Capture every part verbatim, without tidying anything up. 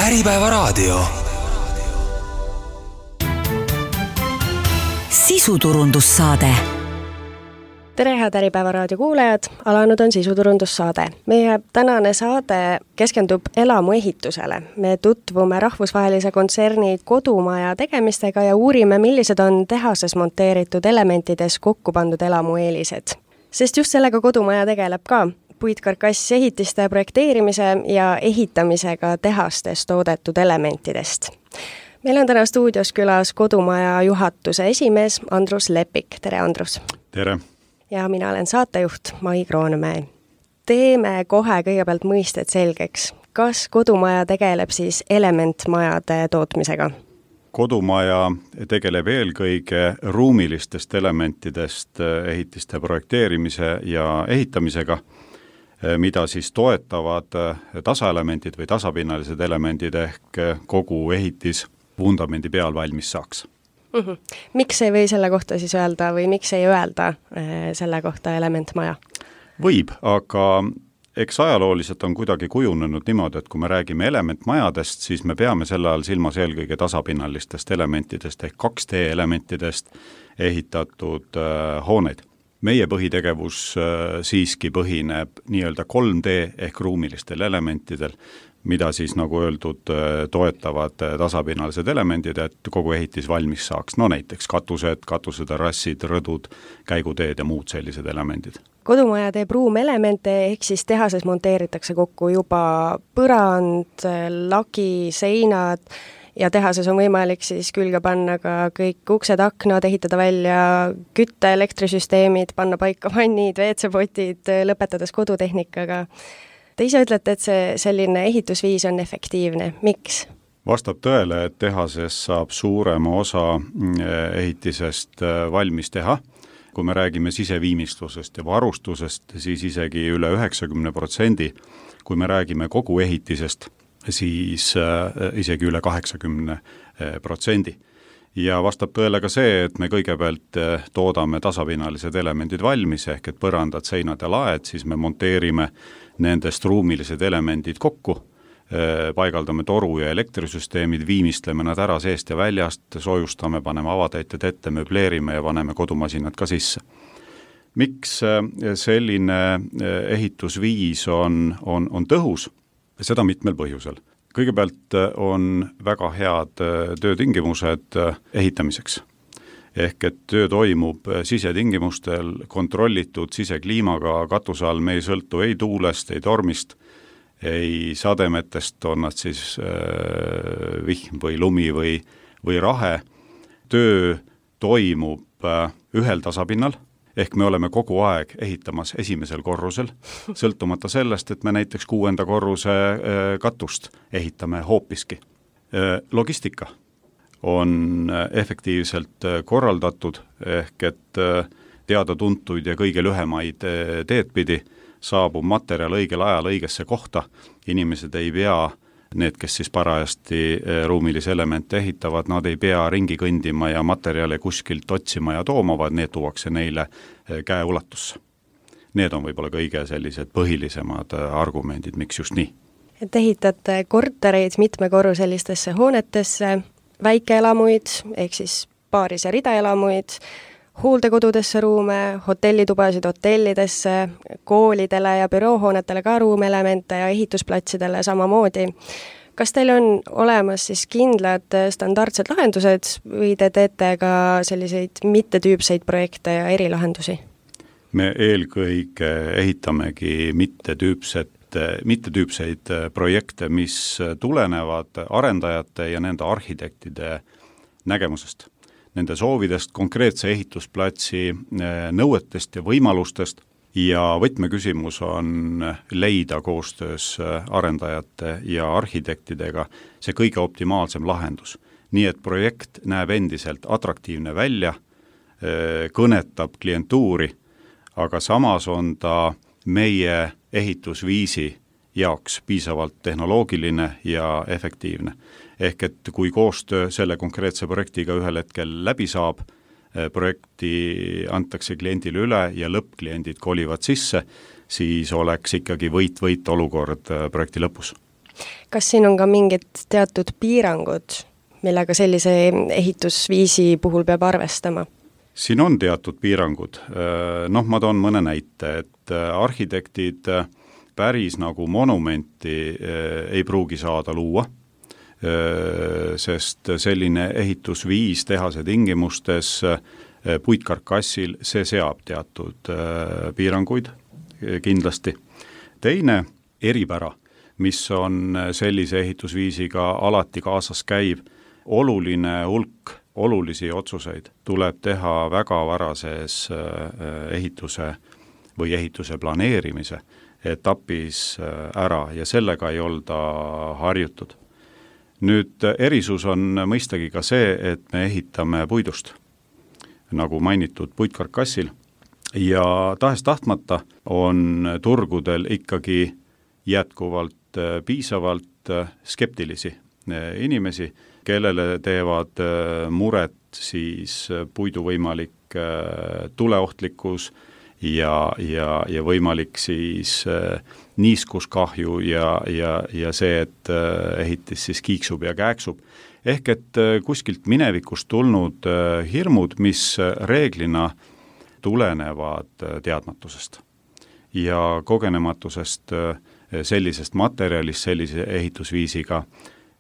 Äripäevaraadio. Sisuturundussaade. Tere, head Äripäevaraadio kuulajad, alanud on sisuturundussaade. Meie tänane saade keskendub elamuehitusele. Me tutvume rahvusvahelise kontserni kodumaja tegemistega ja uurime, millised on tehases monteeritud elementides kokku pandud elamu eelised. Sest just sellega kodumaja tegeleb ka. Puitkarkass ehitiste projekteerimise ja ehitamisega tehastes toodetud elementidest. Meil on täna stuudios külas kodumaja juhatuse esimees Andrus Lepik. Tere, Andrus! Tere! Ja mina olen saatejuht Mai Kroonmäe. Teeme kohe kõigepealt mõisted selgeks. Kas kodumaja tegeleb siis elementmajade tootmisega? Kodumaja tegeleb eelkõige ruumilistest elementidest ehitiste projekteerimise ja ehitamisega, mida siis toetavad tasaelemendid või tasapinnalised elemendid ehk kogu ehitis vundamendi peal valmis saaks. Mm-hmm. Miks ei või selle kohta siis öelda või miks ei öelda selle kohta elementmaja? Võib, aga eks ajalooliselt on kuidagi kujunenud niimoodi, et kui me räägime elementmajadest, siis me peame selle all silmas eelkõige tasapinnalistest elementidest ehk kaks D elementidest ehitatud äh, hooneid. Meie põhitegevus äh, siiski põhineb nii-öelda kolm D ehk ruumilistel elementidel, mida siis nagu öeldud toetavad tasapinnalised elemendid, et kogu ehitis valmis saaks. No näiteks katused, katuseterrassid, rõdud, käiguteed ja muud sellised elemendid. Kodumaja teeb ruumelemente ehk siis tehases monteeritakse kokku juba põrand, lagi, seinad ja tehases on võimalik siis külge panna ka kõik uksed, aknad, ehitada välja kütte, elektrisüsteemid, panna paika vannid, V C-potid, lõpetades kodutehnikaga. Te ise ütlete, et see selline ehitusviis on efektiivne. Miks? Vastab tõele, et tehases saab suurema osa ehitisest valmis teha. Kui me räägime siseviimistlusest ja varustusest, siis isegi üle üheksakümmend protsenti. Kui me räägime kogu ehitisest, siis isegi üle kaheksakümmend protsenti. Ja vastab tõele ka see, et me kõigepealt toodame tasapinnalised elemendid valmis, ehk et põrandad, seinad ja laed, siis me monteerime nendest ruumilised elemendid kokku, paigaldame toru ja elektrisüsteemid, viimistleme nad ära seest ja väljast, soojustame, paneme avatäited ette, möbleerime ja paneme kodumasinad ka sisse. Miks selline ehitusviis on, on, on tõhus? Seda mitmel põhjusel. Kõigepealt on väga head töötingimused ehitamiseks. Ehk et töö toimub sisetingimustel, kontrollitud sisekliimaga, katuse all me ei sõltu ei tuulest, ei tormist, ei sademetest, on nad siis äh, vihm või lumi või, või rahe. Töö toimub äh, ühel tasapinnal, ehk me oleme kogu aeg ehitamas esimesel korrusel, sõltumata sellest, et me näiteks kuuenda korruse äh, katust ehitame hoopiski. Äh, logistika on efektiivselt korraldatud, ehk et teada-tuntuid ja kõige lühemaid teed pidi saabub materjal õigel ajal õigesse kohta. Inimesed ei pea, need, kes siis parajasti ruumilisi elemente ehitavad, nad ei pea ringi kõndima ja materjale kuskilt otsima ja tooma, vaid need tuuakse neile käe ulatusse. Need on võib-olla kõige sellised põhilisemad argumendid, miks just nii. Et ehitate kortereid mitmekorruselistesse hoonetesse, väikeelamuid, ehk siis paaris ja ridaelamuid, hooldekodudesse ruume, hotellitubasid hotellidesse, koolidele ja büroohoonetele ka ruumelemente ja ehitusplatsidele samamoodi. Kas teil on olemas siis kindlad standardsed lahendused või te teete ka selliseid mittetüüpseid projekte ja erilahendusi? Me eelkõige ehitamegi mittetüüpset mittetüüpseid projekte, mis tulenevad arendajate ja nende arhitektide nägemusest, nende soovidest, konkreetse ehitusplatsi nõuetest ja võimalustest ja võtmeküsimus on leida koostöös arendajate ja arhitektidega see kõige optimaalsem lahendus. Nii et projekt näeb endiselt atraktiivne välja, kõnetab klientuuri, aga samas on ta meie ehitusviisi jaoks piisavalt tehnoloogiline ja efektiivne. Ehk et kui koostöö selle konkreetse projektiga ühel hetkel läbi saab, projekti antakse kliendile üle ja lõppkliendid kolivad sisse, siis oleks ikkagi võit-võit olukord projekti lõpus. Kas siin on ka mingid teatud piirangud, millega sellise ehitusviisi puhul peab arvestama? Siin on teatud piirangud. Noh, ma toon mõne näite, et arhitektid päris nagu monumenti ei pruugi saada luua, sest selline ehitusviis tehase tingimustes puitkarkassil, see seab teatud piiranguid kindlasti. Teine eripära, mis on sellise ehitusviisiga alati kaasas käib, oluline hulk olulisi otsuseid tuleb teha väga varases ehituse või ehituse planeerimise etapis ära ja sellega ei olda harjutud. Nüüd erisus on mõistagi ka see, et me ehitame puidust, nagu mainitud puitkarkassil, ja tahes tahtmata on turgudel ikkagi jätkuvalt piisavalt skeptilisi inimesi, kellele teevad muret siis puidu võimalik tuleohtlikkus ja, ja, ja võimalik siis niiskuskahju ja, ja, ja see, et ehitis siis kiiksub ja kääksub. Ehk et kuskilt minevikust tulnud hirmud, mis reeglina tulenevad teadmatusest ja kogenematusest sellisest materjalist sellise ehitusviisiga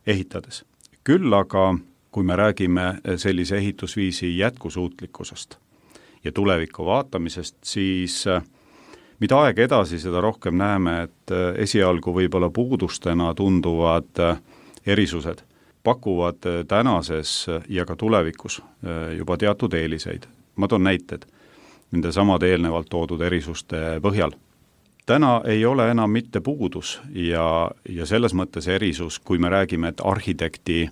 ehitades. Küll aga, kui me räägime sellise ehitusviisi jätkusuutlikkusest ja tuleviku vaatamisest, siis mida aeg edasi, seda rohkem näeme, et esialgu võib-olla puudustena tunduvad erisused pakuvad tänases ja ka tulevikus juba teatud eeliseid. Ma toon näited nende samade eelnevalt toodud erisuste põhjal. Täna ei ole enam mitte puudus ja, ja selles mõttes erisus, kui me räägime, et arhitekti äh,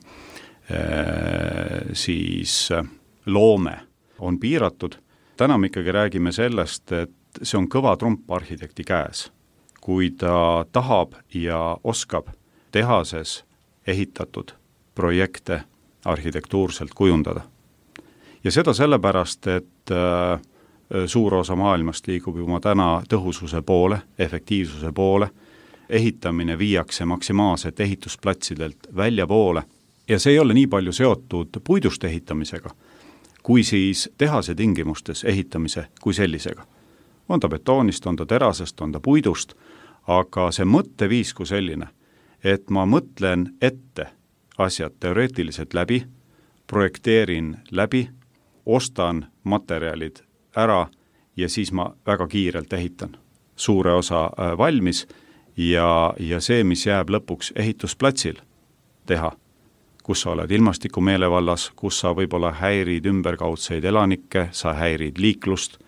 siis loome on piiratud. Täna me ikkagi räägime sellest, et see on kõva trump arhitekti käes. Kui ta tahab ja oskab tehases ehitatud projekte arhitektuurselt kujundada. Ja seda sellepärast, et äh, suur osa maailmast liigub juba täna tõhususe poole, efektiivsuse poole, ehitamine viiakse maksimaalselt ehitusplatsidelt välja poole ja see ei ole nii palju seotud puidust ehitamisega, kui siis tehase tingimustes ehitamise kui sellisega. On ta betoonist, on ta terasest, on ta puidust, aga see mõtteviis kui selline, et ma mõtlen ette asjad teoreetiliselt läbi, projekteerin läbi, ostan materjalid ära ja siis ma väga kiirelt ehitan. Suure osa valmis ja, ja see, mis jääb lõpuks ehitusplatsil teha, kus sa oled ilmastiku meelevallas, kus sa võib-olla häirid ümberkaudseid elanikke, sa häirid liiklust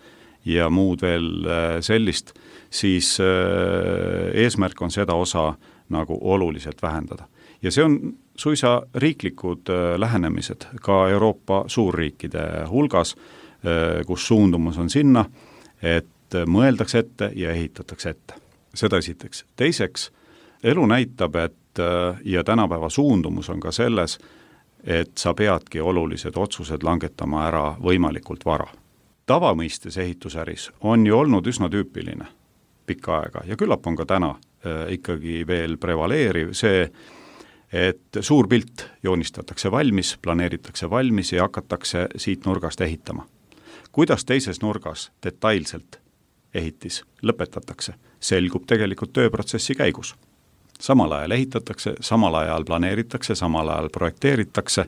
ja muud veel sellist, siis eesmärk on seda osa nagu oluliselt vähendada. Ja see on suisa riiklikud lähenemised ka Euroopa suurriikide hulgas, kus suundumus on sinna, et mõeldakse ette ja ehitatakse ette. Seda esiteks. Teiseks, elu näitab, et ja tänapäeva suundumus on ka selles, et sa peadki olulised otsused langetama ära võimalikult vara. Tavamõistes ehitusäris on ju olnud üsna tüüpiline pikka aega ja küllap on ka täna ikkagi veel prevaleeriv see, et suur pilt joonistatakse valmis, planeeritakse valmis ja hakatakse siit nurgast ehitama. Kuidas teises nurgas detailselt ehitis lõpetatakse, selgub tegelikult tööprotsessi käigus. Samal ajal ehitatakse, samal ajal planeeritakse, samal ajal projekteeritakse,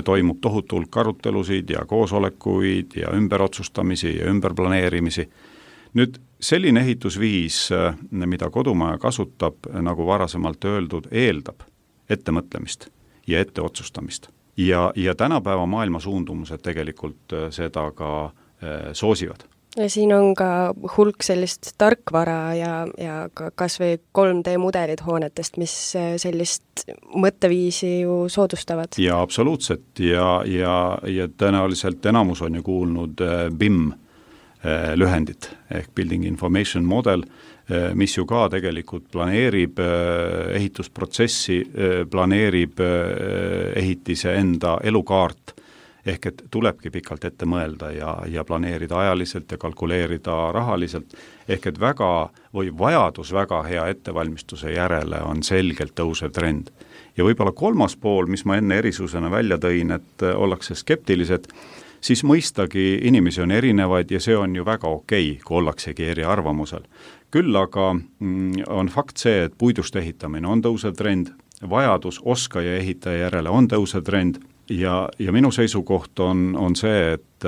toimub tohutu hulk arutelusid ja koosolekuid ja ümberotsustamisi ja ümberplaneerimisi. Nüüd selline ehitusviis, mida kodumaja kasutab, nagu varasemalt öeldud, eeldab ettemõtlemist ja etteotsustamist. Ja, ja tänapäeva maailma suundumused tegelikult seda ka soosivad. Ja siin on ka hulk sellist tarkvara ja, ja ka kas või kolm D mudelid hoonetest, mis sellist mõtteviisi ju soodustavad. Ja absoluutselt ja, ja, ja tõenäoliselt enamus on ju kuulnud B I M lühendit ehk Building Information Model, mis ju ka tegelikult planeerib ehitusprotsessi, planeerib ehitise enda elukaart ehk et tulebki pikalt ette mõelda ja, ja planeerida ajaliselt ja kalkuleerida rahaliselt, ehk et väga või vajadus väga hea ettevalmistuse järele on selgelt tõusev trend. Ja võib-olla kolmas pool, mis ma enne erisusena välja tõin, et ollakse skeptilised, siis mõistagi inimesi on erinevaid ja see on ju väga okei, kui ollaksegi eri arvamusel. Küll aga on fakt see, et puidust ehitamine on tõusev trend, vajadus oskaja ehitaja järele on tõusev trend ja, ja minu seisukoht on, on see, et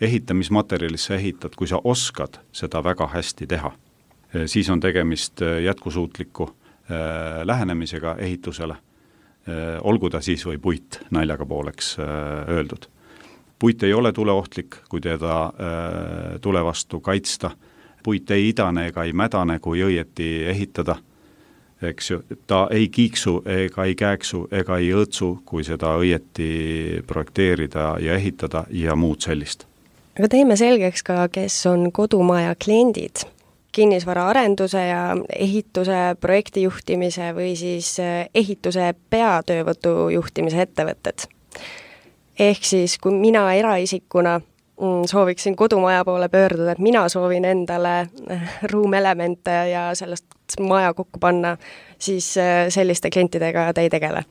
ehitamismaterjalisse ehitad, kui sa oskad seda väga hästi teha, siis on tegemist jätkusuutliku äh, lähenemisega ehitusele, äh, olgu ta siis või puit naljaga pooleks äh, öeldud. Puit ei ole tuleohtlik, kui teda äh, tule vastu kaitsta. Puit ei idane ega ei mädane, kui õieti ehitada. Eks ju, ta ei kiiksu ega ei kääksu ega ei õõtsu, kui seda õieti projekteerida ja ehitada ja muud sellist. Aga teeme selgeks ka, kes on kodumaja kliendid. Kinnisvara arenduse ja ehituse projektijuhtimise või siis ehituse peatöövõtu juhtimise ettevõtted. Ehk siis, kui mina eraisikuna sooviksin kodumaja poole pöörduda, et mina soovin endale ruumelemente ja sellest maja kokku panna, siis selliste klientidega te ei tegele?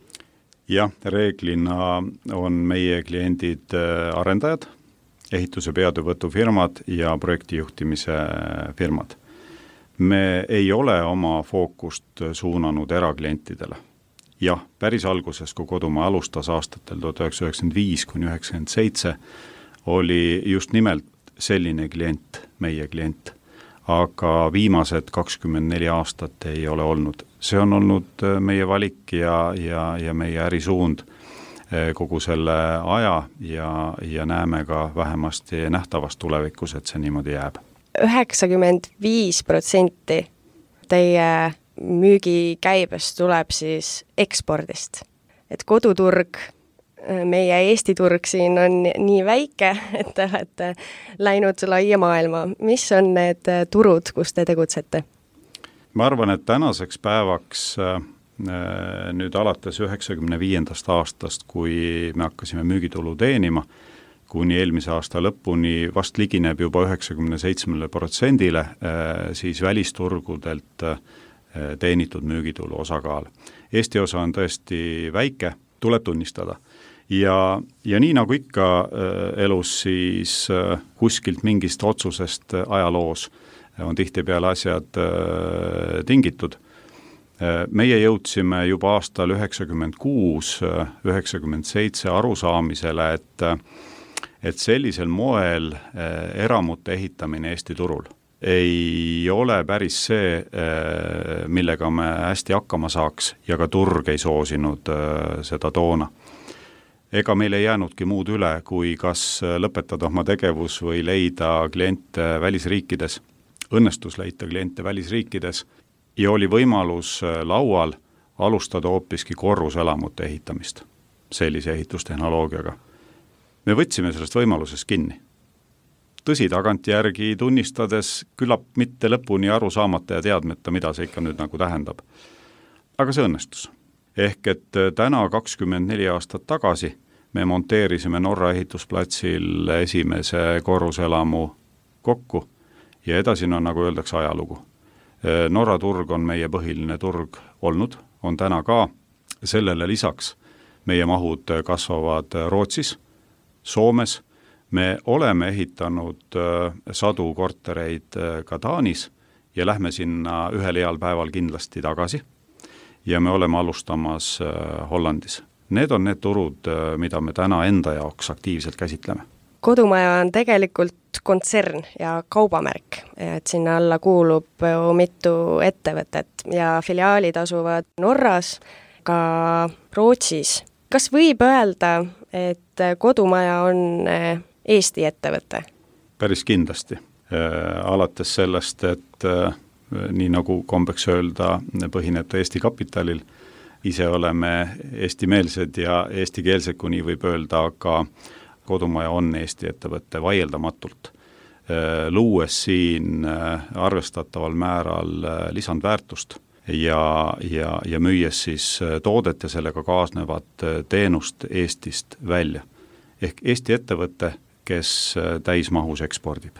Jah, reeglina on meie kliendid arendajad, ehituse peatöövõtufirmad ja projektijuhtimise firmad. Me ei ole oma fookust suunanud eraklientidele. Jah, päris alguses, kui kodumaa alustas aastatel tuhat üheksasada üheksakümmend viis kuni üheksakümmend seitse, oli just nimelt selline klient, meie klient, aga viimased kakskümmend neli aastat ei ole olnud. See on olnud meie valik ja, ja, ja meie ärisuund kogu selle aja ja, ja näeme ka vähemasti nähtavast tulevikus, et see niimoodi jääb. üheksakümmend viis protsenti teie müügikäibest tuleb siis ekspordist. Et koduturg, meie Eesti turg siin on nii väike, et te olete läinud laia maailma. Mis on need turud, kus te tegutsete? Ma arvan, et tänaseks päevaks nüüd alates üheksakümne viiendast aastast, kui me hakkasime müügitulu teenima, kuni eelmise aasta lõpuni vast ligineb juba üheksakümne seitsmele protsendile, siis välisturgudelt teenitud müügitulu osakaal. Eesti osa on tõesti väike, tuleb tunnistada. Ja, ja nii nagu ikka elus, siis kuskilt mingist otsusest ajaloos on tihtipeale asjad tingitud. Meie jõudsime juba aastal üheksakümmend kuus üheksakümmend seitse arusaamisele, et, et sellisel moel eramute ehitamine Eesti turul ei ole päris see, millega me hästi hakkama saaks ja ka turg ei soosinud seda toona. Ega meil ei jäänudki muud üle, kui kas lõpetada oma tegevus või leida kliente välisriikides, õnnestus leida kliente välisriikides ja oli võimalus laual alustada hoopiski korruselamute ehitamist sellise ehitustehnoloogiaga. Me võtsime sellest võimalusest kinni. Tõsi, tagantjärgi tunnistades küllap mitte lõpuni aru saamata ja teadmata, mida see ikka nüüd nagu tähendab. Aga see õnnestus. Ehk et täna kakskümmend neli aastat tagasi me monteerisime Norra ehitusplatsil esimese korruselamu kokku ja edasi on, nagu öeldakse, ajalugu. Norra turg on meie põhiline turg olnud, on täna ka. Sellele lisaks meie mahud kasvavad Rootsis, Soomes. Me oleme ehitanud sadu kortereid ka Taanis ja lähme sinna ühel heal päeval kindlasti tagasi ja me oleme alustamas Hollandis. Need on need turud, mida me täna enda jaoks aktiivselt käsitleme. Kodumaja on tegelikult kontsern ja kaubamärk, et sinna alla kuulub mitu ettevõtet ja filiaalid asuvad Norras, ka Rootsis. Kas võib öelda, et kodumaja on Eesti ettevõte? Päris kindlasti. Alates sellest, et nii nagu kombeks öelda, põhineb ta Eesti kapitalil. Ise oleme eestimeelsed ja eestikeelsed, kui nii võib öelda, aga kodumaja on Eesti ettevõte vaieldamatult. Luues siin arvestataval määral lisandväärtust ja, ja, ja müües siis toodet ja sellega kaasnevat teenust Eestist välja. ehk Eesti ettevõte, kes täismahus ekspordib.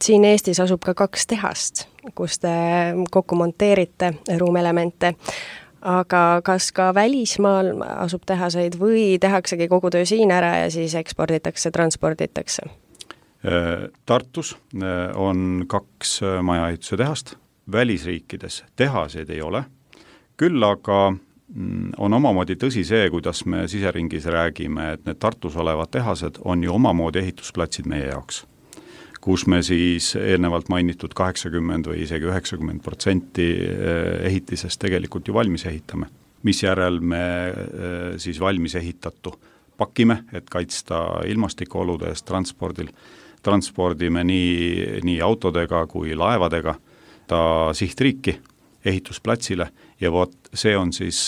Siin Eestis asub ka kaks tehast, kus te kokku monteerite ruumelemente, aga kas ka välismaal asub tehaseid või tehaksegi kogu töö siin ära ja siis eksporditakse, transporditakse? Tartus on kaks majaehituse tehast, välisriikides tehaseid ei ole, küll aga on omamoodi tõsi see, kuidas me siseringis räägime, et need Tartus olevad tehased on ju omamoodi ehitusplatsid meie jaoks, kus me siis eelnevalt mainitud kaheksakümmend või isegi üheksakümmend protsenti ehitisest tegelikult ju valmis ehitame, misjärel me siis valmis ehitatu pakime, et kaitsta ilmastikuolude eest transpordil, transpordime nii, nii autodega kui laevadega ta sihtriiki ehitusplatsile ja vot see on siis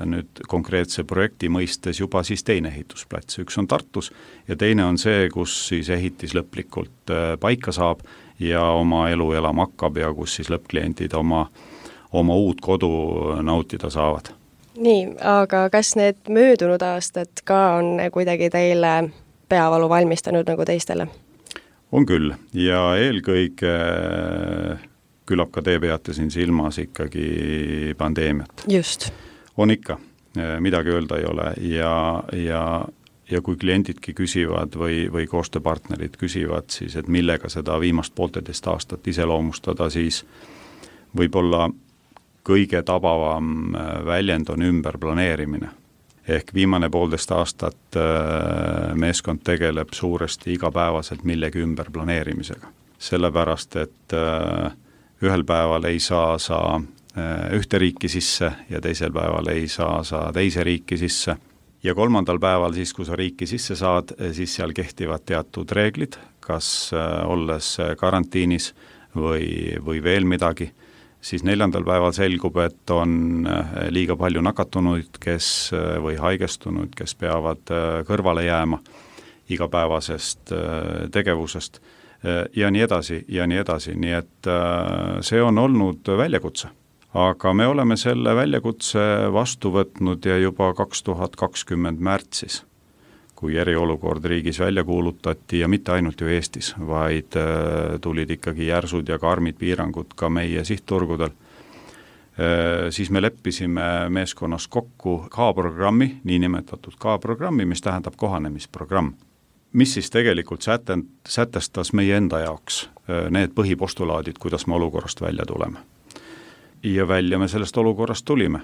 nüüd konkreetse projekti mõistes juba siis teine ehitusplats. Üks on Tartus ja teine on see, kus siis ehitis lõplikult paika saab ja oma elu elama hakkab ja kus siis lõppkliendid oma, oma uut kodu nautida saavad. Nii, aga kas need möödunud aastad ka on kuidagi teile peavalu valmistanud nagu teistele? On küll ja eelkõige küllap ka te peate siin silmas ikkagi pandeemiat. Just. On ikka, midagi öelda ei ole ja, ja, ja kui kliendidki küsivad või, või koostööpartnerid küsivad siis, et millega seda viimast poolteist aastat iseloomustada, siis võib-olla kõige tabavam väljend on ümberplaneerimine. Ehk viimane poolteist aastat meeskond tegeleb suuresti igapäevaselt millegi ümberplaneerimisega. Sellepärast, et ühel päeval ei saa sa ühte riiki sisse ja teisel päeval ei saa sa teise riiki sisse. Ja kolmandal päeval siis, kui sa riiki sisse saad, siis seal kehtivad teatud reeglid, kas olles karantiinis või, või veel midagi. Siis neljandal päeval selgub, et on liiga palju nakatunuid, kes või haigestunud, kes peavad kõrvale jääma igapäevasest tegevusest. Ja nii edasi, ja nii edasi, nii et see on olnud väljakutse. Aga me oleme selle väljakutse vastu võtnud ja juba kaks tuhat kakskümmend märtsis, kui eriolukord riigis välja kuulutati ja mitte ainult ju Eestis, vaid tulid ikkagi järsud ja karmid piirangud ka meie sihtturgudel, siis me leppisime meeskonnas kokku K-programmi, niinimetatud K-programmi, mis tähendab kohanemisprogramm. Mis siis tegelikult sätestas meie enda jaoks need põhipostulaadid, kuidas me olukorrast välja tuleme. Ja välja me sellest olukorrast tulime.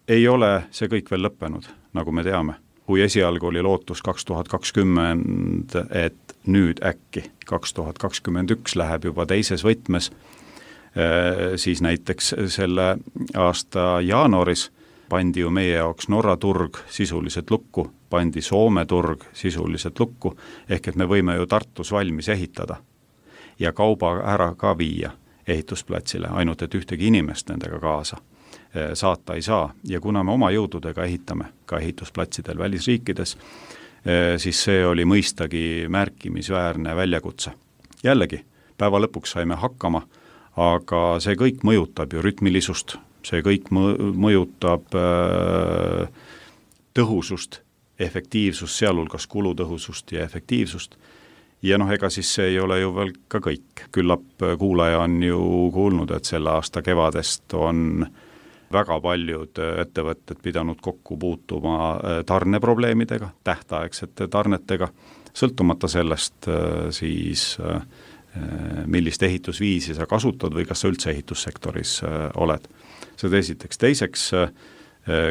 Ei ole see kõik veel lõppenud, nagu me teame. Kui esialgu oli lootus kaks tuhat kakskümmend, et nüüd äkki kaks tuhat kakskümmend üks läheb juba teises võtmes, siis näiteks selle aasta jaanuaris pandi ju meie jaoks Norra turg sisuliselt lukku, pandi Soome turg sisuliselt lukku, ehk et me võime ju Tartus valmis ehitada ja kauba ära ka viia ehitusplatsile, ainult et ühtegi inimest nendega kaasa saata ei saa. Ja kuna me oma jõududega ehitame ka ehitusplatsidel välisriikides, siis see oli mõistagi märkimisväärne väljakutse. Jällegi, päeva lõpuks saime hakkama, aga see kõik mõjutab ju rütmilisust, see kõik mõjutab tõhusust, efektiivsust, sealhulgas kulutõhusust ja efektiivsust. Ja noh, ega siis see ei ole ju veel ka kõik. Küllap kuulaja on ju kuulnud, et selle aasta kevadest on väga paljud ettevõtted pidanud kokku puutuma tarneprobleemidega, tähtaegsete tarnetega, sõltumata sellest siis, millist ehitusviisi sa kasutad või kas sa üldse ehitussektoris oled. Seda esiteks. Teiseks,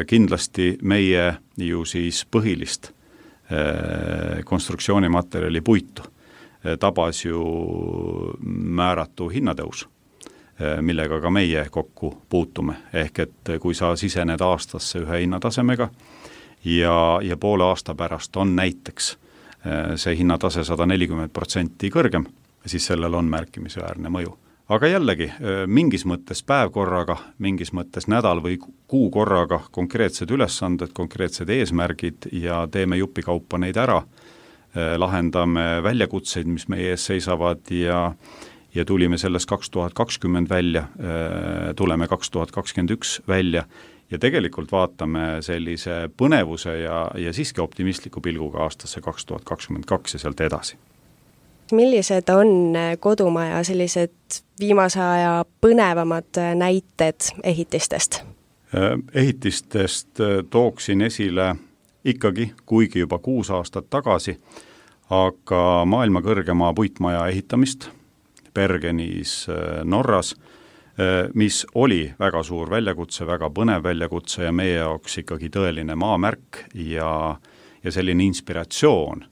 kindlasti meie ju siis põhilist konstruktsioonimaterjali puitu tabas ju määratu hinnatõus, millega ka meie kokku puutume. Ehk et kui sa sisened aastasse ühe hinnatasemega ja, ja poole aasta pärast on näiteks see hinnatase sada nelikümmend protsenti kõrgem, siis sellel on märkimisväärne mõju. Aga jällegi, mingis mõttes päev korraga, mingis mõttes nädal või kuu korraga konkreetsed ülesanded, konkreetsed eesmärgid ja teeme jupikaupa neid ära, lahendame väljakutseid, mis meie ees seisavad ja, ja tulime sellest kaks tuhat kakskümmend välja, tuleme kaks tuhat kakskümmend üks välja ja tegelikult vaatame sellise põnevuse ja, ja siiski optimistliku pilguga aastasse kaks tuhat kakskümmend kaks ja sealt edasi. Millised on kodumaja sellised viimase aja põnevamad näited ehitistest? Ehitistest tooksin esile ikkagi, kuigi juba kuus aastat tagasi, aga maailma kõrgema puitmaja ehitamist Bergenis Norras, mis oli väga suur väljakutse, väga põnev väljakutse ja meie jaoks ikkagi tõeline maamärk ja, ja selline inspiratsioon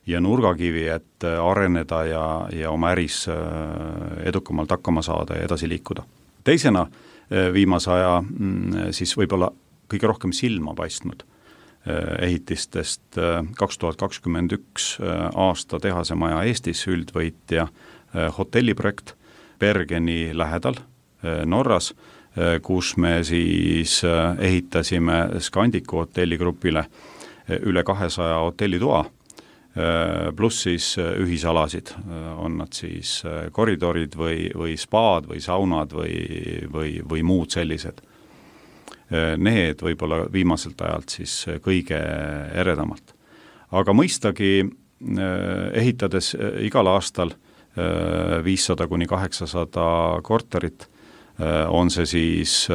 ja nurgakivi, et areneda ja, ja oma äris edukamalt hakkama saada ja edasi liikuda. Teisena viimase aja siis võib-olla kõige rohkem silma paistnud ehitistest kaks tuhat kakskümmend üks aasta tehasemaja Eestis üldvõitja hotelliprojekt Bergeni lähedal Norras, kus me siis ehitasime Scandicu hotelligrupile üle kahesaja hotellitoa, pluss siis ühisalasid, on nad siis koridorid või, või spaad või saunad või, või, või muud sellised. Need võib-olla viimaselt ajalt siis kõige eredamalt. Aga mõistagi ehitades igal aastal viissada kuni kaheksasada korterit, on see siis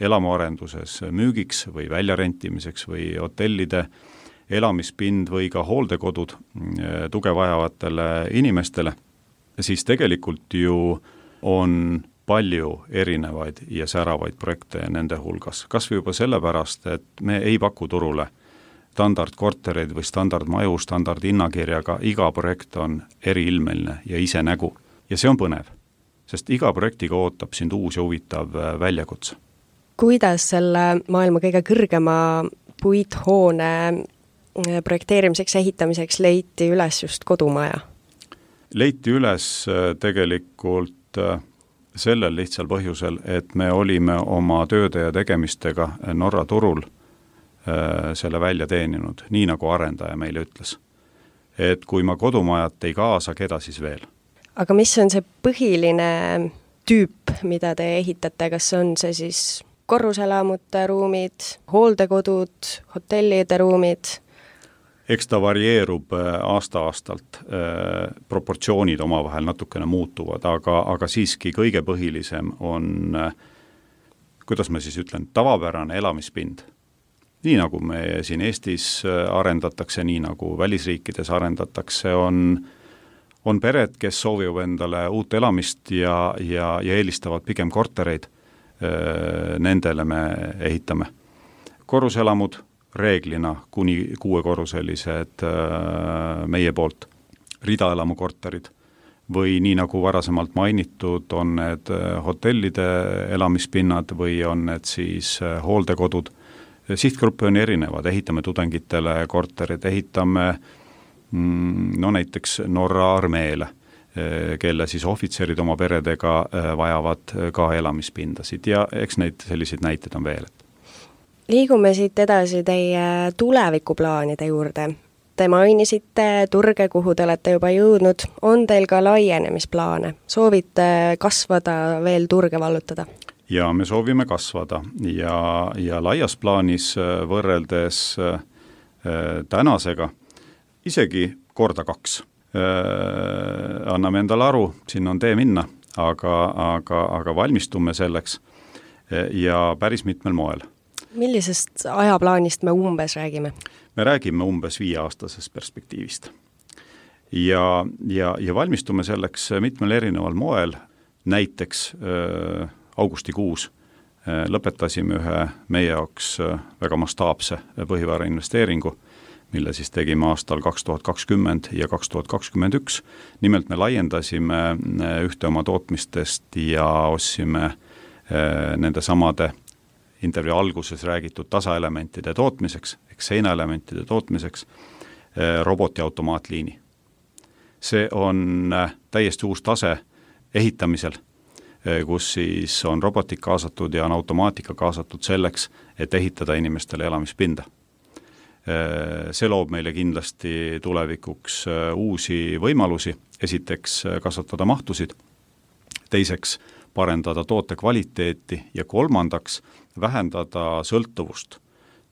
elamuarenduses müügiks või väljarentimiseks või hotellide elamispind või ka hooldekodud tuge vajavatele inimestele, siis tegelikult ju on palju erinevaid ja säravaid projekte nende hulgas. Kas või juba sellepärast, et me ei paku turule standardkortereid või standardmaju, standardhinnakirjaga, iga projekt on eriilmeline ja ise nägu. Ja see on põnev, sest iga projektiga ootab sind uus ja huvitav väljakutse. Kuidas selle maailma kõige kõrgema puithoone projekteerimiseks, ehitamiseks leiti üles just kodumaja? Leiti üles tegelikult sellel lihtsal põhjusel, et me olime oma tööde ja tegemistega Norra turul selle välja teeninud, nii nagu arendaja meile ütles. Et kui ma kodumajat ei kaasa, keda siis veel? Aga mis on see põhiline tüüp, mida te ehitate? Kas on see siis korruselamute ruumid, hooldekodud, hotellide ruumid? Eks ta varieerub aasta-aastalt, proportsioonid omavahel natukene muutuvad, aga, aga siiski kõige põhilisem on, kuidas ma siis ütlen, tavapärane elamispind. Nii nagu me siin Eestis arendatakse, nii nagu välisriikides arendatakse, on, on pered, kes soovivad endale uut elamist ja, ja, ja eelistavad pigem kortereid, nendele me ehitame. Korruselamud reeglina kuni kuuekorruselised meie poolt, ridaelamu korterid või nii nagu varasemalt mainitud, on need hotellide elamispinnad või on need siis hooldekodud. Sihtgruppe on erinevad, ehitame tudengitele korterid, ehitame no näiteks Norra armeele, kelle siis ohvitserid oma peredega vajavad ka elamispindasid ja eks neid selliseid näiteid on veel. Liigume siit edasi teie tulevikuplaanide juurde. Te mainisite turge, kuhu te olete juba jõudnud. On teil ka laienemisplaane? Soovite kasvada, veel turge vallutada? Ja me soovime kasvada ja, ja laias plaanis võrreldes äh, tänasega isegi korda kaks. Äh, anname endale aru, siin on tee minna, aga, aga, aga valmistume selleks ja päris mitmel moel. Millisest ajaplaanist me umbes räägime? Me räägime umbes viieaastasest perspektiivist. Ja, ja, ja valmistume selleks mitmel erineval moel, näiteks äh, augustikuus lõpetasime ühe meie jaoks väga mastaapse põhivara investeeringu, mille siis tegime aastal kaks tuhat kakskümmend ja kaks tuhat kakskümmend üks. Nimelt me laiendasime ühte oma tootmistest ja ostsime nende samade intervjuu alguses räägitud tasaelementide tootmiseks, ehk seinaelementide tootmiseks robotiautomaatliini. See on täiesti uus tase ehitamisel, kus siis on robotik kaasatud ja on automaatika kaasatud selleks, et ehitada inimestele elamispinda. See loob meile kindlasti tulevikuks uusi võimalusi, esiteks kasvatada mahtusid, teiseks parendada toote kvaliteeti ja kolmandaks vähendada sõltuvust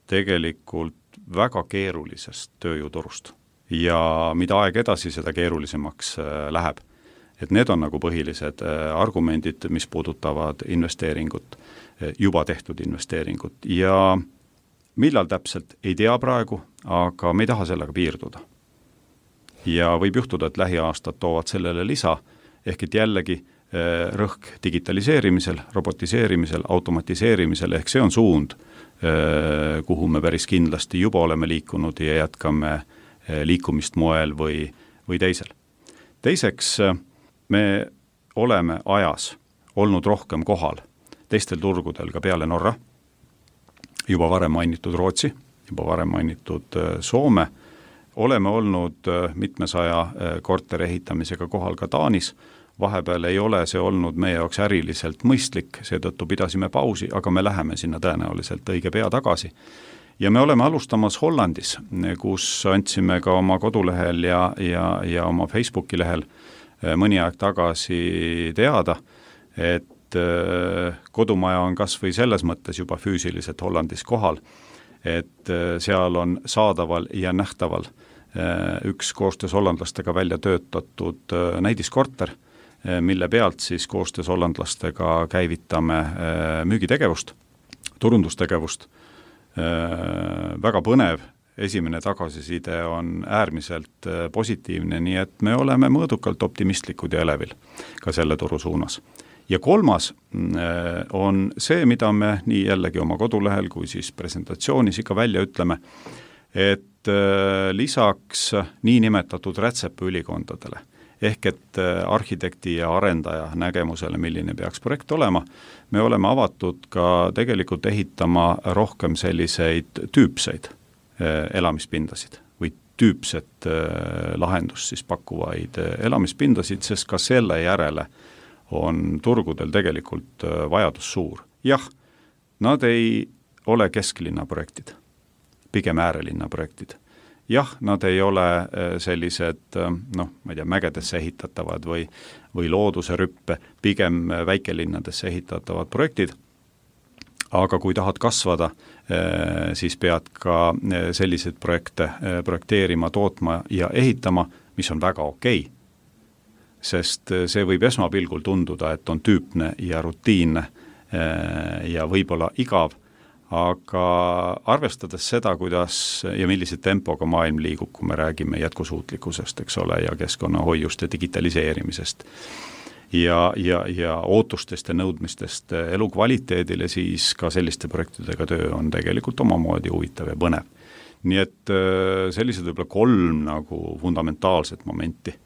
tegelikult väga keerulisest tööjõuturust. Ja mida aeg edasi, seda keerulisemaks läheb. Et need on nagu põhilised argumendid, mis puudutavad investeeringut, juba tehtud investeeringut. Ja millal täpselt, ei tea praegu, aga me ei taha sellega piirduda. Ja võib juhtuda, et lähiaastad toovad sellele lisa, ehk et jällegi rõhk digitaliseerimisel, robotiseerimisel, automatiseerimisel, ehk see on suund, kuhu me päris kindlasti juba oleme liikunud ja jätkame liikumist moel või, või teisel. Teiseks, me oleme ajas olnud rohkem kohal teistel turgudel ka peale Norra, juba varem mainitud Rootsi, juba varem mainitud Soome, oleme olnud mitmesaja korteri ehitamisega kohal ka Taanis, vahepeal ei ole see olnud meie jaoks äriliselt mõistlik, seetõttu pidasime pausi, aga me läheme sinna tõenäoliselt õige pea tagasi. Ja me oleme alustamas Hollandis, kus andsime ka oma kodulehel ja, ja, ja oma Facebooki lehel mõni aeg tagasi teada, et kodumaja on kas või selles mõttes juba füüsiliselt Hollandis kohal, et seal on saadaval ja nähtaval üks koostöös hollandlastega välja töötatud näidiskorter, mille pealt siis koostöös hollandlastega käivitame müügitegevust, turundustegevust. Väga põnev, esimene tagasiside on äärmiselt positiivne, nii et me oleme mõõdukalt optimistlikud ja elevil ka selle turu suunas. Ja kolmas on see, mida me nii jällegi oma kodulehel kui siis presentatsioonis ikka välja ütleme, et lisaks niinimetatud rätsepaülikondadele, ehk et arhitekti ja arendaja nägemusele, milline peaks projekt olema, me oleme avatud ka tegelikult ehitama rohkem selliseid tüüpseid elamispindasid või tüüpset lahendust siis pakkuvaid elamispindasid, sest ka selle järele on turgudel tegelikult vajadus suur. Jah, nad ei ole kesklinna projektid, pigem äärelinna projektid. Jah, nad ei ole sellised, noh, ma ei tea, mägedesse ehitatavad või, või looduse rüppe, pigem väikelinnadesse ehitatavad projektid, aga kui tahad kasvada, siis pead ka selliseid projekte projekteerima, tootma ja ehitama, mis on väga okei, sest see võib esmapilgul tunduda, et on tüüpne ja rutiinne ja võib-olla igav, aga arvestades seda, kuidas ja millise tempoga maailm liigub, kui me räägime jätkusuutlikkusest, eks ole, ja keskkonnahoiust ja digitaliseerimisest ja, ja, ja ootustest ja nõudmistest elukvaliteedile, siis ka selliste projektidega töö on tegelikult omamoodi huvitav ja põnev. Nii et sellised võib-olla kolm nagu fundamentaalset momenti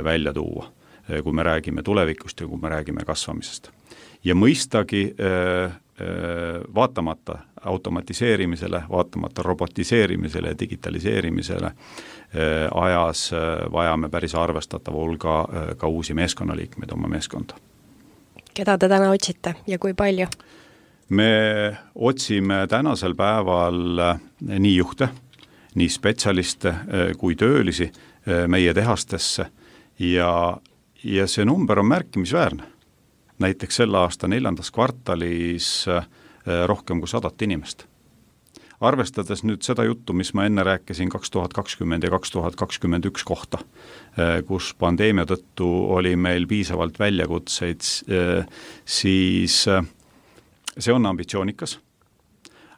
välja tuua, kui me räägime tulevikust ja kui me räägime kasvamisest. Ja mõistagi vaatamata automatiseerimisele, vaatamata robotiseerimisele ja digitaliseerimisele ajas vajame päris arvestatava hulga ka uusi meeskonnaliikmeid oma meeskonda. Keda te täna otsite ja kui palju? Me otsime tänasel päeval nii juhte, nii spetsialiste kui töölisi meie tehastesse ja, ja see number on märkimisväärne. Näiteks selle aasta neljandas kvartalis rohkem kui sadat inimest. Arvestades nüüd seda juttu, mis ma enne rääkisin kaks tuhat kakskümmend ja kaks tuhat kakskümmend üks kohta, kus pandeemia tõttu oli meil piisavalt väljakutseid, siis see on ambitsioonikas.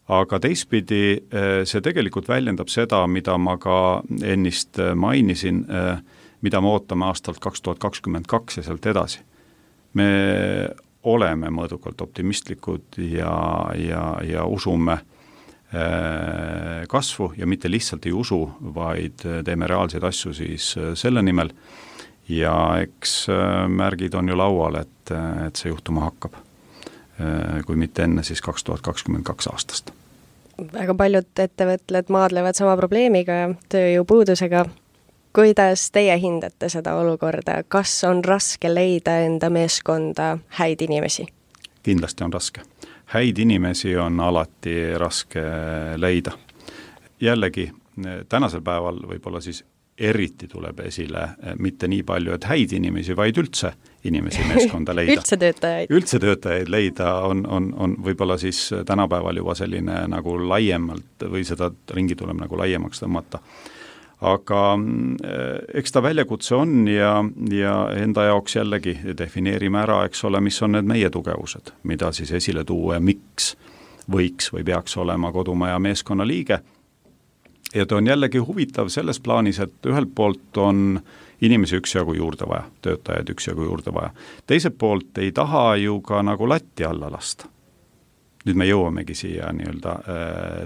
Aga teistpidi see tegelikult väljendab seda, mida ma ka ennist mainisin, mida me ootame aastalt kaks tuhat kakskümmend kaks ja sealt edasi. Me oleme mõõdukalt optimistlikud ja, ja, ja usume kasvu ja mitte lihtsalt ei usu, vaid teeme reaalseid asju siis selle nimel ja eks märgid on ju laual, et, et see juhtuma hakkab, kui mitte enne siis kaks tuhat kakskümmend kaks aastast. Väga paljud ettevõtted maadlevad sama probleemiga, tööjõupuudusega. Kuidas teie hindate seda olukorda? Kas on raske leida enda meeskonda häid inimesi? Kindlasti on raske. Häid inimesi on alati raske leida. Jällegi, tänasel päeval võib-olla siis eriti tuleb esile mitte nii palju, et häid inimesi, vaid üldse inimesi meeskonda leida. üldse töötajaid. Üldse töötajaid leida on, on, on võib-olla siis tänapäeval juba selline nagu laiemalt või seda ringi tuleb nagu laiemaks tõmmata. Aga eks ta väljakutse on ja, ja enda jaoks jällegi defineerime ära, eks ole, mis on need meie tugevused, mida siis esile tuua ja miks võiks või peaks olema kodumaja meeskonna liige. Ja ta on jällegi huvitav selles plaanis, et ühelt poolt on inimesi üksjagu juurde vaja, töötajaid üksjagu juurde vaja. Teiselt poolt ei taha ju ka nagu latti alla lasta. Nüüd me jõuamegi siia nii-öelda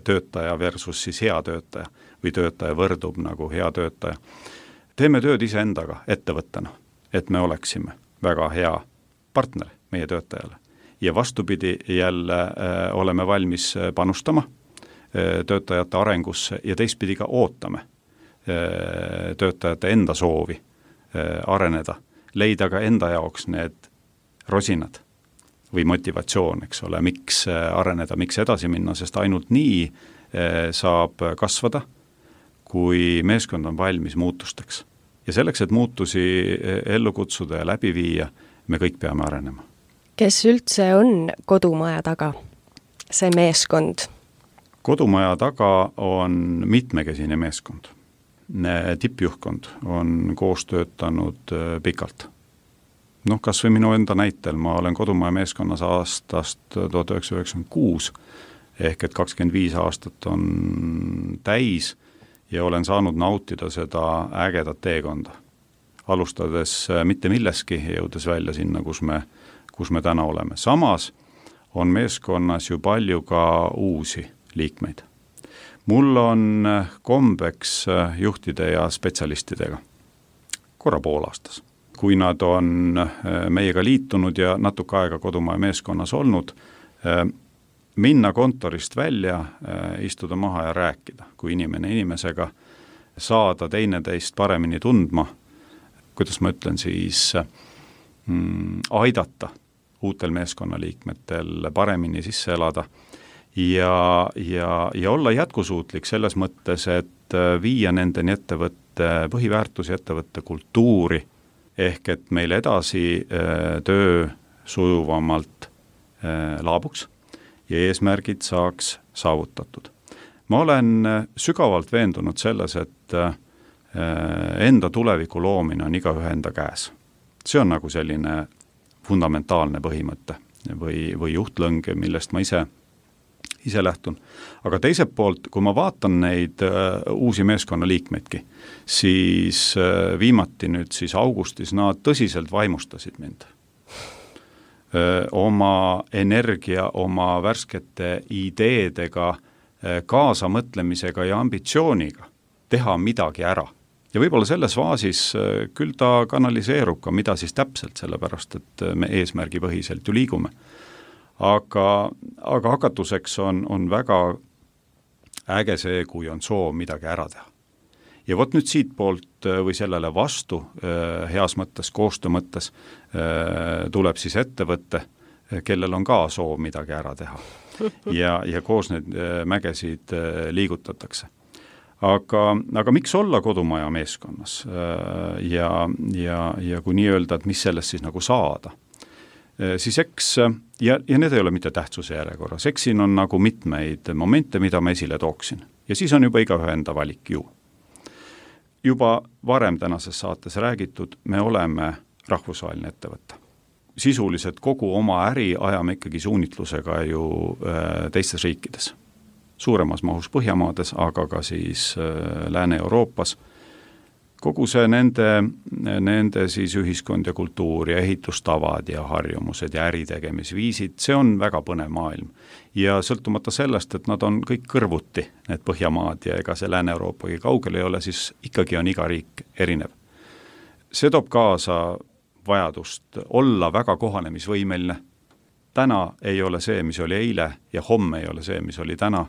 töötaja versus siis hea töötaja või töötaja võrdub nagu hea töötaja. Teeme tööd iseendaga ettevõttena, et me oleksime väga hea partner meie töötajale. Ja vastupidi jälle äh, oleme valmis panustama äh, töötajate arengusse ja teistpidi ka ootame äh, töötajate enda soovi äh, areneda, leida ka enda jaoks need rosinad või motivatsioon, eks ole, miks areneda, miks edasi minna, sest ainult nii äh, saab kasvada, kui meeskond on valmis muutusteks. Ja selleks, et muutusi ellu kutsuda ja läbi viia, me kõik peame arenema. Kes üldse on kodumaja taga, see meeskond? Kodumaja taga on mitmekesine meeskond. Tippjuhtkond on koos töötanud pikalt. Noh, kas või minu enda näitel, ma olen kodumaja meeskonnas aastast tuhat üheksasada üheksakümmend kuus, ehk et kakskümmend viis aastat on täis ja olen saanud nautida seda ägedat teekonda. Alustades mitte milleski, jõudes välja sinna, kus me kus me täna oleme. Samas on meeskonnas ju palju ka uusi liikmeid. Mul on kombeks juhtide ja spetsialistidega korra pool aastas. Kui nad on meiega liitunud ja natuke aega kodumaja meeskonnas olnud, minna kontorist välja, istuda maha ja rääkida, kui inimene inimesega saada teineteist paremini tundma, kuidas ma ütlen siis, mm, aidata uutel meeskonnaliikmetel paremini sisse elada ja, ja, ja olla jätkusuutlik selles mõttes, et viia nendeni ettevõtte põhiväärtusi, ettevõtte kultuuri, ehk et meil edasi töö sujuvamalt laabuks ja eesmärgid saaks saavutatud. Ma olen sügavalt veendunud selles, et enda tuleviku loomine on igaühe enda käes. See on nagu selline fundamentaalne põhimõte või, või juhtlõng, millest ma ise, ise lähtun. Aga teiselt poolt, kui ma vaatan neid uh, uusi meeskonnaliikmeidki, siis uh, viimati nüüd siis augustis nad tõsiselt vaimustasid mind. Uh, oma energia, oma värskete ideedega, uh, kaasamõtlemisega ja ambitsiooniga teha midagi ära. Ja võib-olla selles faasis küll ta kanaliseerub ka, mida siis täpselt, sellepärast, et me eesmärgi põhiselt ju liigume. Aga, aga hakatuseks on, on väga äge see, kui on soov midagi ära teha. Ja vot nüüd siit poolt või sellele vastu, heas mõttes, koostöö mõttes, tuleb siis ettevõtte, kellel on ka soov midagi ära teha. Ja, ja koos need mägesid liigutatakse. Aga, aga miks olla kodumaja meeskonnas ja, ja, ja kui nii öelda, et mis sellest siis nagu saada, siis eks, ja, ja need ei ole mitte tähtsuse järjekorras, eks siin on nagu mitmeid momente, mida ma esile tooksin. Ja siis on juba igaühe enda valik ju. Juba varem tänases saates räägitud, me oleme rahvusvaheline ettevõte. Sisuliselt kogu oma äri ajame ikkagi suunitlusega ju teistes riikides. Suuremas mahus Põhjamaades, aga ka siis Lääne-Euroopas. Kogu see nende, nende siis ühiskond ja kultuur ja ehitustavad ja harjumused ja äritegemisviisid, see on väga põnev maailm. Ja sõltumata sellest, et nad on kõik kõrvuti, need Põhjamaad ja ega see Lääne-Euroopagi kaugel ei ole, siis ikkagi on iga riik erinev. See toob kaasa vajadust olla väga kohanemisvõimeline. Täna ei ole see, mis oli eile ja homme ei ole see, mis oli täna,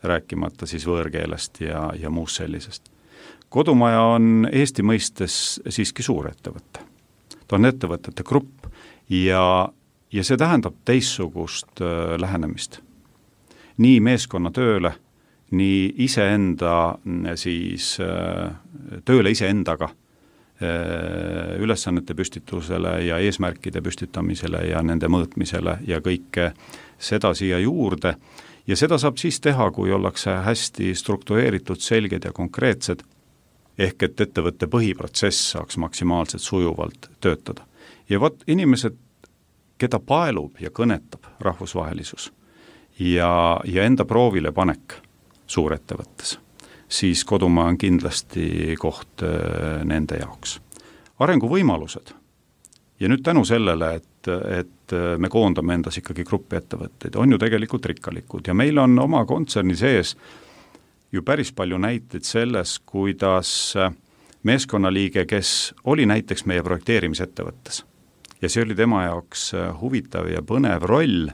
rääkimata siis võõrkeelest ja, ja muust sellisest. Kodumaja on Eesti mõistes siiski suur ettevõte. Ta on ettevõtete grupp ja, ja see tähendab teissugust äh, lähenemist. Nii meeskonna tööle, nii iseenda siis äh, tööle iseendaga, ülesannete püstitusele ja eesmärkide püstitamisele ja nende mõõtmisele ja kõike seda siia juurde. Ja seda saab siis teha, kui ollakse hästi struktureeritud, selged ja konkreetsed, ehk et ettevõtte põhiprotsess saaks maksimaalselt sujuvalt töötada. Ja vot inimesed, keda paelub ja kõnetab rahvusvahelisus ja, ja enda proovile panek suurettevõttes, siis kodumaa on kindlasti koht nende jaoks. Arenguvõimalused. Ja nüüd tänu sellele, et, et me koondame endas ikkagi gruppi ettevõtteid, on ju tegelikult rikkalikud ja meil on oma kontserni sees ju päris palju näiteid selles, kuidas meeskonnaliige, kes oli näiteks meie projekteerimisettevõttes ja see oli tema jaoks huvitav ja põnev roll,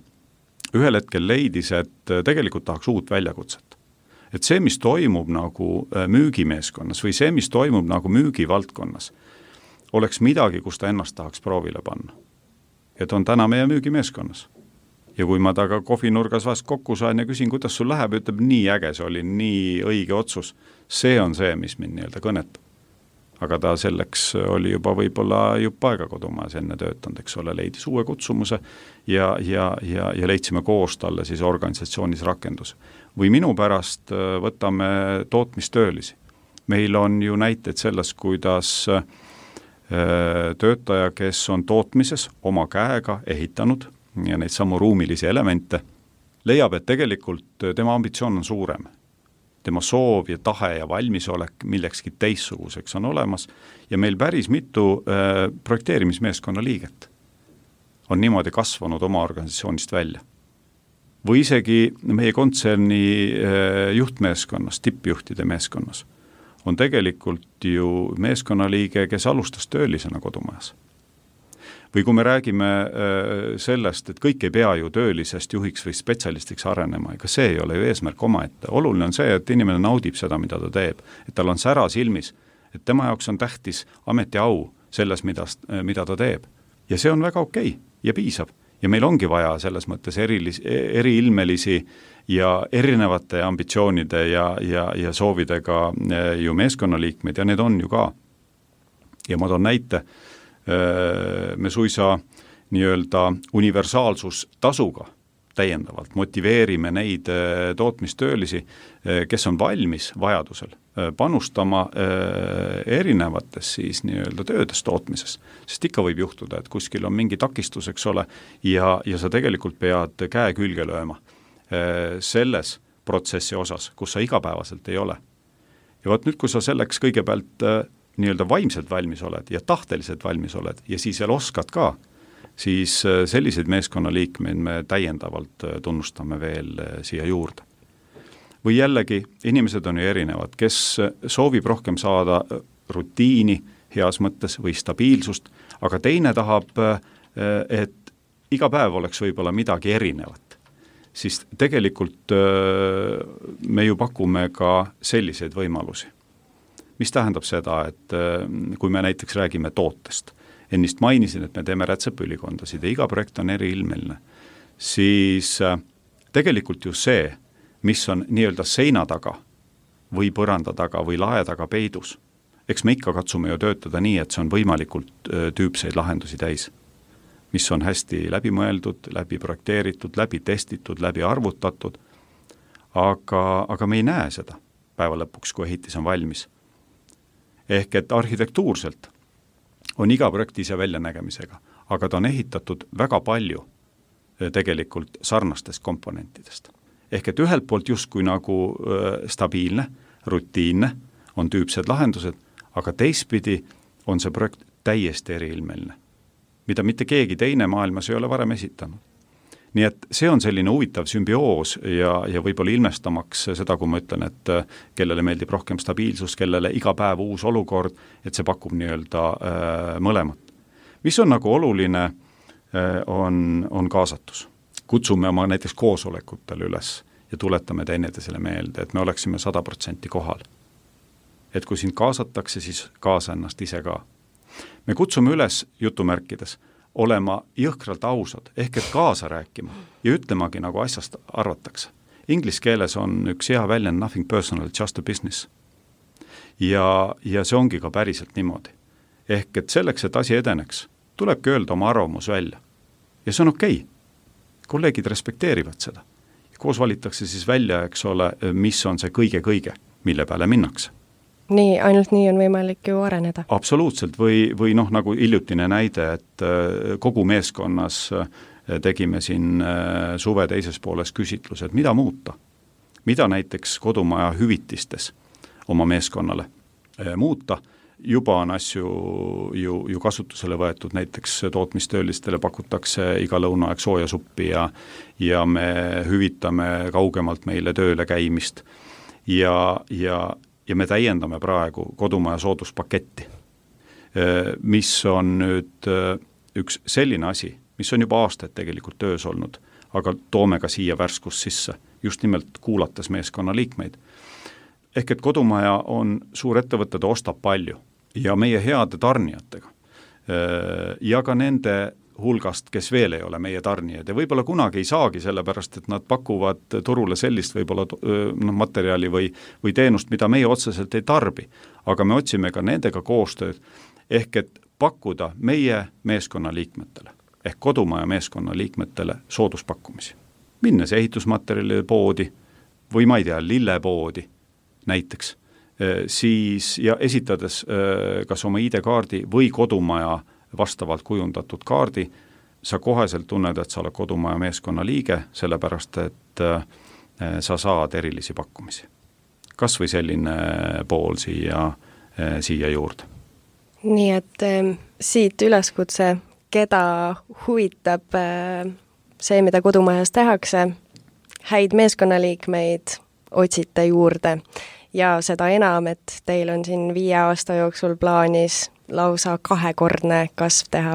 ühel hetkel leidis, et tegelikult tahaks uut väljakutset. Et see, mis toimub nagu müügimeeskonnas või see, mis toimub nagu müügivaldkonnas, oleks midagi, kus ta ennast tahaks proovile panna. Et on täna meie müügimeeskonnas. Ja kui ma taga kohvinurgas vast kokku sain ja küsin, kuidas sul läheb, ütleb, nii äge, see oli nii õige otsus. See on see, mis mind nii-öelda kõnetab. Aga ta selleks oli juba võib-olla jupp aega kodumaas enne töötanud, eks ole, leidis uue kutsumuse ja, ja, ja, ja leidsime koos talle siis organisatsioonis rakenduse. Või minu pärast võtame tootmistöölisi. Meil on ju näiteid selles, kuidas töötaja, kes on tootmises oma käega ehitanud ja neid samu ruumilisi elemente, leiab, et tegelikult tema ambitsioon on suurem. Tema soov ja tahe ja valmisolek millekski teissuguseks on olemas ja meil päris mitu äh, projekteerimismeeskonna liiget on niimoodi kasvanud oma organisatsioonist välja. Või isegi meie kontserni äh, juhtmeeskonnas, tippjuhtide meeskonnas on tegelikult ju meeskonnaliige, kes alustas töölisena kodumajas. Või kui me räägime sellest, et kõik ei pea ju töölisest juhiks või spetsialistiks arenema, ega see ei ole ju eesmärk omaette. Oluline on see, et inimene naudib seda, mida ta teeb, et tal on sära silmis, et tema jaoks on tähtis ametiau selles, mida, mida ta teeb. Ja see on väga okei ja piisab. Ja meil ongi vaja selles mõttes erilis, eriilmelisi ja erinevate ambitsioonide ja, ja, ja soovidega ju meeskonnaliikmeid ja need on ju ka. Ja ma toon näite, me suisa nii-öelda universaalsustasuga täiendavalt motiveerime neid tootmistöölisi, kes on valmis vajadusel panustama erinevates siis nii-öelda töödes tootmises. Sest ikka võib juhtuda, et kuskil on mingi takistus, eks ole, ja, ja sa tegelikult pead käe külge lööma selles protsessi osas, kus sa igapäevaselt ei ole. Ja võt nüüd, kui sa selleks kõigepealt nii-öelda vaimselt valmis oled ja tahteliselt valmis oled ja siis veel oskad ka, siis selliseid meeskonnaliikmeid me täiendavalt tunnustame veel siia juurde. Või jällegi, inimesed on ju erinevad, kes soovib rohkem saada rutiini heas mõttes või stabiilsust, aga teine tahab, et iga päev oleks võib-olla midagi erinevat. Siis tegelikult me ju pakume ka selliseid võimalusi. Mis tähendab seda, et kui me näiteks räägime tootest, ennist mainisin, et me teeme rätsepülikondasid ja iga projekt on eriilmeline, siis tegelikult ju see, mis on nii-öelda seina taga või põranda taga või lae taga peidus, eks me ikka katsume ju töötada nii, et see on võimalikult tüüpseid lahendusi täis, mis on hästi läbi mõeldud, läbi projekteeritud, läbi testitud, läbi arvutatud, aga, aga me ei näe seda päeva lõpuks, kui ehitis on valmis. Ehk et arhitektuurselt on iga projekt ise väljanägemisega, aga ta on ehitatud väga palju tegelikult sarnastest komponentidest. Ehk et ühelt poolt justkui nagu stabiilne, rutiinne, on tüüpsed lahendused, aga teistpidi on see projekt täiesti eriilmeline, mida mitte keegi teine maailmas ei ole varem esitanud. Nii et see on selline huvitav sümbioos ja, ja võib-olla ilmestamaks seda, kui ma ütlen, et kellele meeldib rohkem stabiilsus, kellele iga päev uus olukord, et see pakub nii-öelda äh, mõlemat. Mis on nagu oluline, äh, on, on kaasatus. Kutsume oma näiteks koosolekutel üles ja tuletame teineteisele meelde, et me oleksime sada protsenti kohal. Et kui sind kaasatakse, siis kaasa ennast ise ka. Me kutsume üles jutumärkides olema jõhkralt ausad, ehk et kaasa rääkima ja ütlemagi, nagu asjast arvatakse. Inglis keeles on üks hea väljend nothing personal, just a business. Ja, ja see ongi ka päriselt niimoodi. ehk et selleks, et asi edeneks, tulebki öelda oma arvamus välja. Ja see on okei okay. Kolleegid respekteerivad seda. Koos valitakse siis välja, eks ole, mis on see kõige-kõige, mille peale minnakse. Nii, ainult nii on võimalik ju areneda. Absoluutselt, või, või noh, nagu hiljutine näide, et kogu meeskonnas tegime siin suve teises pooles küsitlused, mida muuta. Mida näiteks kodumaja hüvitistes oma meeskonnale muuta. Juba on asju ju, ju kasutusele võetud, näiteks tootmistöölistele pakutakse iga lõunaaeg sooja suppi ja, ja me hüvitame kaugemalt meile tööle käimist ja, ja, ja me täiendame praegu kodumaja sooduspaketti, mis on nüüd üks selline asi, mis on juba aastaid tegelikult töös olnud, aga toome ka siia värskust sisse, just nimelt kuulates meeskonna liikmeid. Ehk et kodumaja on suur ettevõte, ta ostab palju ja meie heade tarnijatega ja ka nende hulgast, kes veel ei ole meie tarnijad ja võib-olla kunagi ei saagi, sellepärast et nad pakuvad turule sellist võib-olla no, materjali või, või teenust, mida meie otseselt ei tarbi, aga me otsime ka nendega koostööd, ehk et pakkuda meie meeskonna liikmetele, ehk kodumaja meeskonna liikmetele sooduspakkumisi. Minnes ehitusmaterjalide poodi või ma ei tea, lillepoodi näiteks, siis ja esitades kas oma I D-kaardi või kodumaja vastavalt kujundatud kaardi, sa koheselt tunned, et sa oled kodumaja meeskonna liige, sellepärast et sa saad erilisi pakkumisi. Kas või selline pool siia, siia juurde. Nii et siit üleskutse, keda huvitab see, mida kodumajas tehakse, häid meeskonnaliikmeid otsite juurde ja seda enam, et teil on siin viie aasta jooksul plaanis lausa kahekordne kasv teha.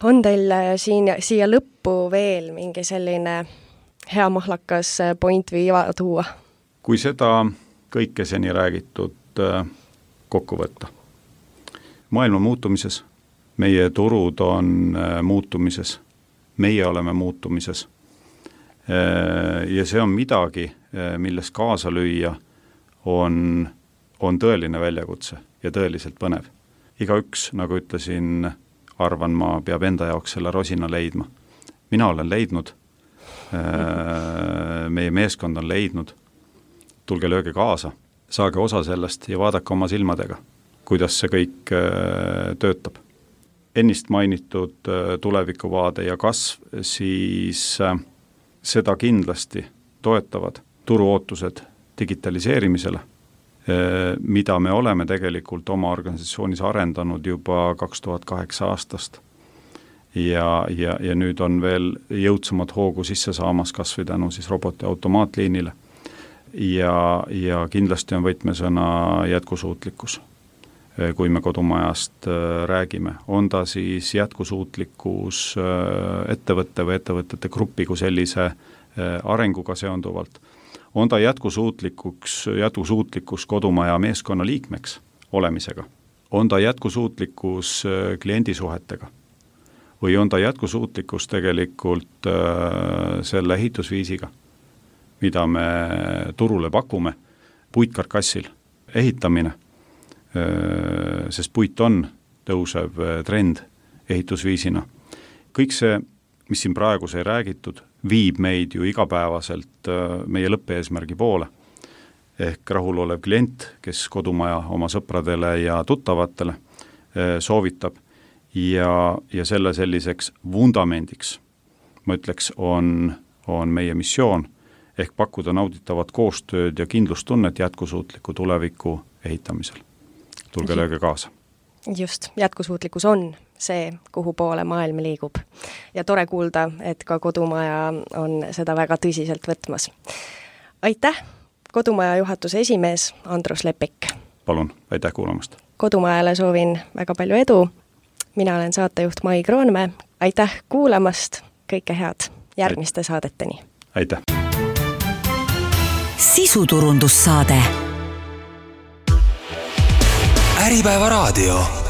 On teil siin, siia lõppu veel mingi selline hea mahlakas point või iva tuua? Kui seda kõike seni räägitud kokku võtta. Maailma muutumises, meie turud on muutumises, meie oleme muutumises ja see on midagi, milles kaasa lüüa on, on tõeline väljakutse ja tõeliselt põnev. Igaüks, nagu ütlesin, arvan ma, peab enda jaoks selle rosina leidma. Mina olen leidnud, meie meeskond on leidnud, tulge lööge kaasa, saage osa sellest ja vaadake oma silmadega, kuidas see kõik töötab. Ennist mainitud tulevikuvaade ja kasv, siis seda kindlasti toetavad turuootused digitaliseerimisele, mida me oleme tegelikult oma organisatsioonis arendanud juba kaks tuhat kaheksa aastast. Ja, ja, ja nüüd on veel jõudsamad hoogu sisse saamas kas või tänu siis roboti automaatliinile. Ja, ja kindlasti on võtmesõna jätkusuutlikkus, kui me kodumajast räägime. On ta siis jätkusuutlikkus ettevõtte või ettevõtete gruppi kui sellise arenguga seonduvalt. On ta jätkusuutlikkus, jätkusuutlikkus kodumaja meeskonna liikmeks olemisega. On ta jätkusuutlikkus kliendisuhetega. Või on ta jätkusuutlikkus tegelikult selle ehitusviisiga, mida me turule pakume, puitkarkassil ehitamine, sest puit on tõusev trend ehitusviisina. Kõik see, mis siin praegu sai räägitud, viib meid ju igapäevaselt meie lõppeesmärgi poole. Ehk rahulolev klient, kes kodumaja oma sõpradele ja tuttavatele soovitab ja, ja selle selliseks vundamendiks, ma ütleks, on, on meie missioon, ehk pakkuda nauditavat koostööd ja kindlustunnet jätkusuutliku tuleviku ehitamisel. Tulge lööge kaasa. Just, jätkusuutlikkus on see, kuhu poole maailm liigub. Ja tore kuulda, et ka kodumaja on seda väga tõsiselt võtmas. Aitäh, kodumaja juhatuse esimees Andrus Lepik. Palun, aitäh kuulamast. Kodumajale soovin väga palju edu. Mina olen saatejuht Mai Kroonmäe. Aitäh kuulamast, kõike head järgmiste saadeteni. Aitäh. Sisuturundussaade. Äripäeva raadio.